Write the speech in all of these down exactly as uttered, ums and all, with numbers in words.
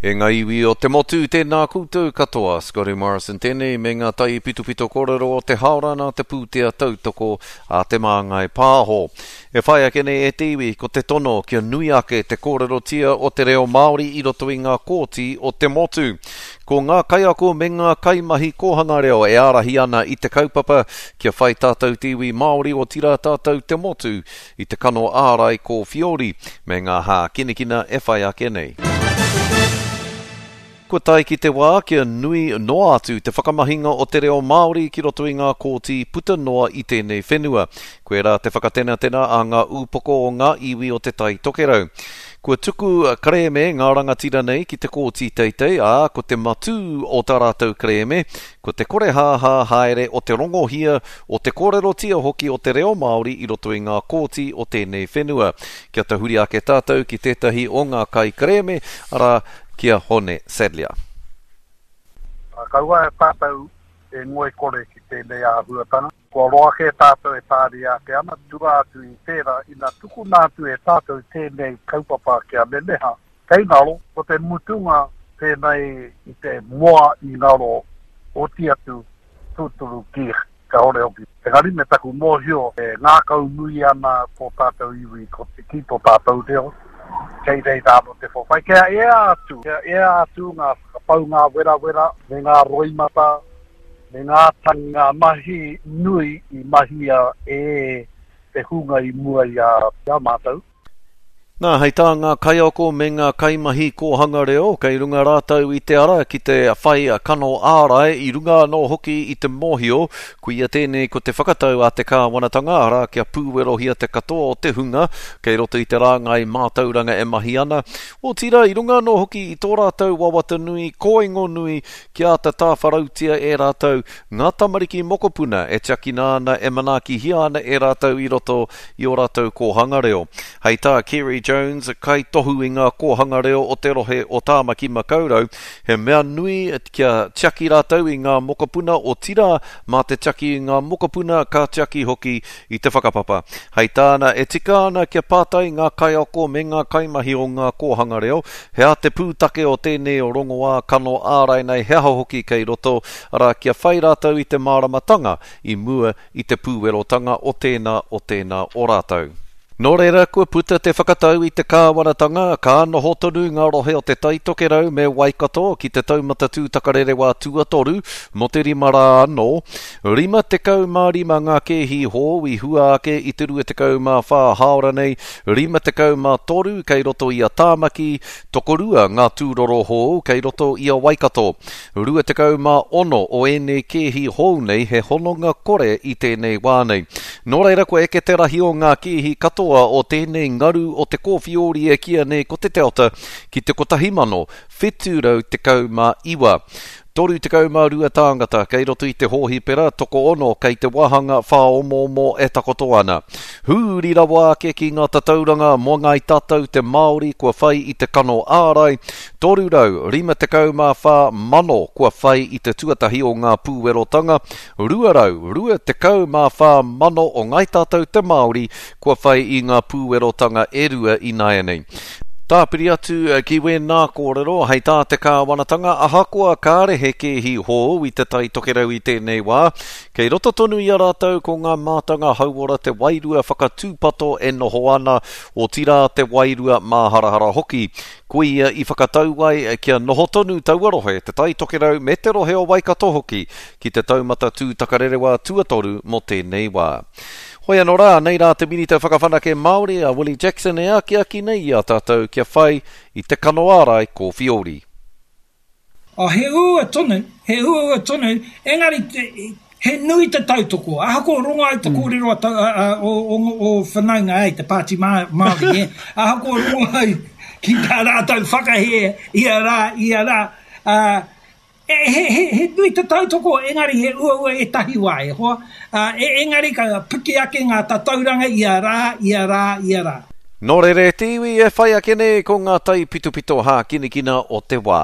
E ngā iwi o te motu, tēnā koutou katoa. Scotty Morrison tēnei me ngā taipitopito kōrero o te haora nā te pūtea tautoko a Te Māngai Pāho. E whai ake nei e te iwi, ko te tono kia nui ake te kōrerotia o te reo Māori i roto i ngā kōti o te motu. Ko ngā kaiako me ngā kaimahi kōhanga reo e ārahi ana i te kaupapa kia whai tātou te iwi Māori otirā tātou te motu i te kano ārai kōwhiori me ngā hākinakina e whai ake nei. Kua tae ki te wā kia nui noa atu te whakamahinga o te reo Māori ki roto i ngā kōti puta noa i tēnei whenua. Koirā te whakatenatena a ngā ūpoko o ngā iwi o Te Tai Tokerau. Kua tuku kerēme ngā rangatira nei ki te kōti teitei, ā, ko te matū o tā rātou kerēme, ko te korehāhā haere o te rongohia, o te kōrerotia hoki o te reo Māori i roto i ngā kōti o tēnei whenua. Kia tahuri ake tātou ki tētahi o ngā kaikerēme, arā, ki a Hone Sadlier. Kaua e tātou e ngoikore ki tēnei āhuatanga. Kua roa kē tātou e tāria ake ana, tua atu i tērā, ina tukuna atu e tātou tēnei kaupapa kia memeha. Kei ngaro, ko te mutunga tēnei i te moa i ngaro, oti atu tūturu ki kāore hoki. Engari me taku mōhio e ngākau nui ana tō tātou iwi ko te, ki tō tātou reo, kei reira anō te whawhai. Kia ea atu, kia ea atu ngā whakapaunga werawera me ngā roimata, me ngā tangi, ngā mahi nui i mahia e te hunga i mua i a, i a mātou. Nā, hei tā ngā kaiako me ngā kaimahi kōhanga reo, kei runga rātou i te ara ki te whai kano ārai, i runga anō hoki i te mōhio, koia tēnei ko te whakatau a te kāwanatanga, arā kia pūwerohia te katoa o te hunga, kei roto i te rāngai mātauranga e mahi ana, otirā i runga anō hoki i tō rātou wawata nui, kōingo nui, kia āta tāwharautia e rātou ngā tamariki mokopuna e tiakina ana, e manaakihia ana e rātou i roto i ō rātou kōhanga reo. Hei tā Kerry Jones, kaitohu i ngā kōhanga reo o te rohe o Tāmaki Makaurau, he mea nui kia tiaki rātou i ngā mokopuna otirā mā te tiaki i ngā mokopuna ka tiaki hoki i te whakapapa. Hei tāna, e tika ana kia pātai ngā kaiako me ngā kaimahi o ngā kōhanga reo, he aha te pūtake o tēnei o rongoā kano ārai nei, he aha hoki kei roto, arā kia whai rātou i te māramatanga i mua i te pūwerotanga o tēnā o tēnā o rātou. Nō reira, kua puta te whakatau i te kāwanatanga, ka noho tonu ngā rohe o Te Tai Tokerau me Waikato ki te taumata tūtakarerewā tuatoru mō te rima rā anō. Rima tekau mā rima ngā kēhi hou i hua ake i te rua tekau mā whā hāora nei, rima tekau mā toru kei roto i a Tāmaki, tokorua ngā tūroro hou kei roto i a Waikato. Rua tekau mā ono o ēnei kēhi hou nei he hononga kore i tēnei wā nei. Nō reira, kua eke te rahi o ngā kēhi katoa o tēnei ngaru o te kōwhiori e kīia nei ko te Delta ki te kotahi mano whitu rau tekau mā iwa. Toru tekau mā rua tāngata kei roto i te hōhipera, tokoono kei te wāhanga whāomoomo e takoto ana. Hūri rawa ake ki ngā tatauranga mō ngāi tātou te Māori kua whai i te kano ārai, toru rau rima tekau mā whā mano kua whai i te tuatahi o ngā pūwerotanga, rua rau rua tekau mā whā mano o ngāi tātou te Māori kua whai i ngā pūwerotanga e rua ināianei. Tāpiri atu ki wēnā kōrero, hei tā te kāwanatanga, ahakoa kāre he kēhi hou i te Tai Tokerau i tēnei wā, kei roto tonu i a rātou ko ngā mātanga hauora te wairua whakatūpato e noho ana, otirā te wairua māharahara hoki. Koia i whakatau ai kia noho tonu taua rohe, te Tai Tokerau me te rohe o Waikato hoki, ki te taumata tūtakarerewā tuatoru mō tēnei wā. Hoi anō rā, nei rā te Minita Whakawhanake Māori a Willie Jackson e akiaki nei i a tātou kia whai i te kano ārai kōwhiori. Oh, he uaua tonu, he uaua tonu, engari te, he nui te tautoko. Ahakoa rongo ai te kōrero a ta, a, a, o, o, o whanaunga, ei, te Pāti Māori, eh? Ahakoa rongo ai ki tā rātou whakahē ia rā, ia rā, uh, he, he, he, he nui te tautoko, engari he uaua ētahi wā, e hoa. Uh, e, engari ka piki ake ngā tatauranga ia rā, ia rā, ia rā. Nō reira e te iwi e whai ake nei ko ngā taipitopito hākinakina o te wā.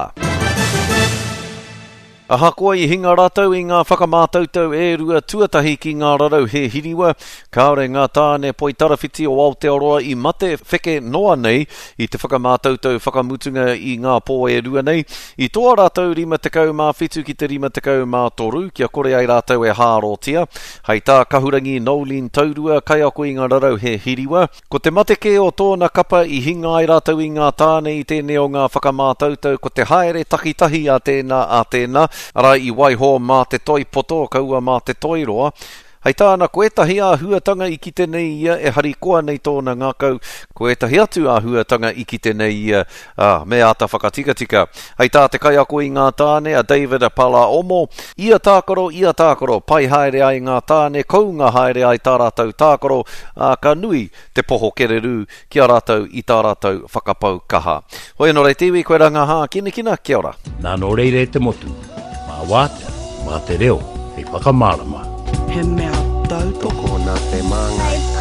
Ahakoa i hinga rātou i ngā whakamātautau e rua tuatahi ki ngā rarau he hiriwa, kāore ngā tāne poitarawhiti o Aotearoa i mate wheke noa nei i te whakamātautau whakamutunga i ngā pō e rua nei. I toa rātou rima tekau mā whitu ki te rima tekau mā toru, kia kore ai rātou e hārotia. Hei tā Kahurangi Noeline Taurua, kaiako i ngā rarau he hiriwa. Ko te mate kē o tōna kapa i hinga ai rātou i ngā tāne i tēnei o ngā whakamātautau, ko te haere takitahi a tēnā a tēnā, arā i waiho mā te toi poto, kaua mā te toi roa. Hei tāna, ko ētahi āhuatanga i kite nei ia e harikoa nei tōna ngākau, ko ētahi atu āhuatanga i kite nei ia, ā, me āta whakatikatika. Hei tā te kaiako i ngā tāne, a David Palaomo, ia tākaro, ia tākaro, pai haere ai ngā tāne, kounga haere ai tā rātou tākaro, ā, ka nui te poho kererū ki a rātou i tā rātou whakapau kaha. Hoi anō rei te iwi, koe rā ngā hākinakina, kia ora. Nā nō reira e te motu, mā wātea, mā te reo, hei whakamārama. He mea tautoko Tokona te māngai.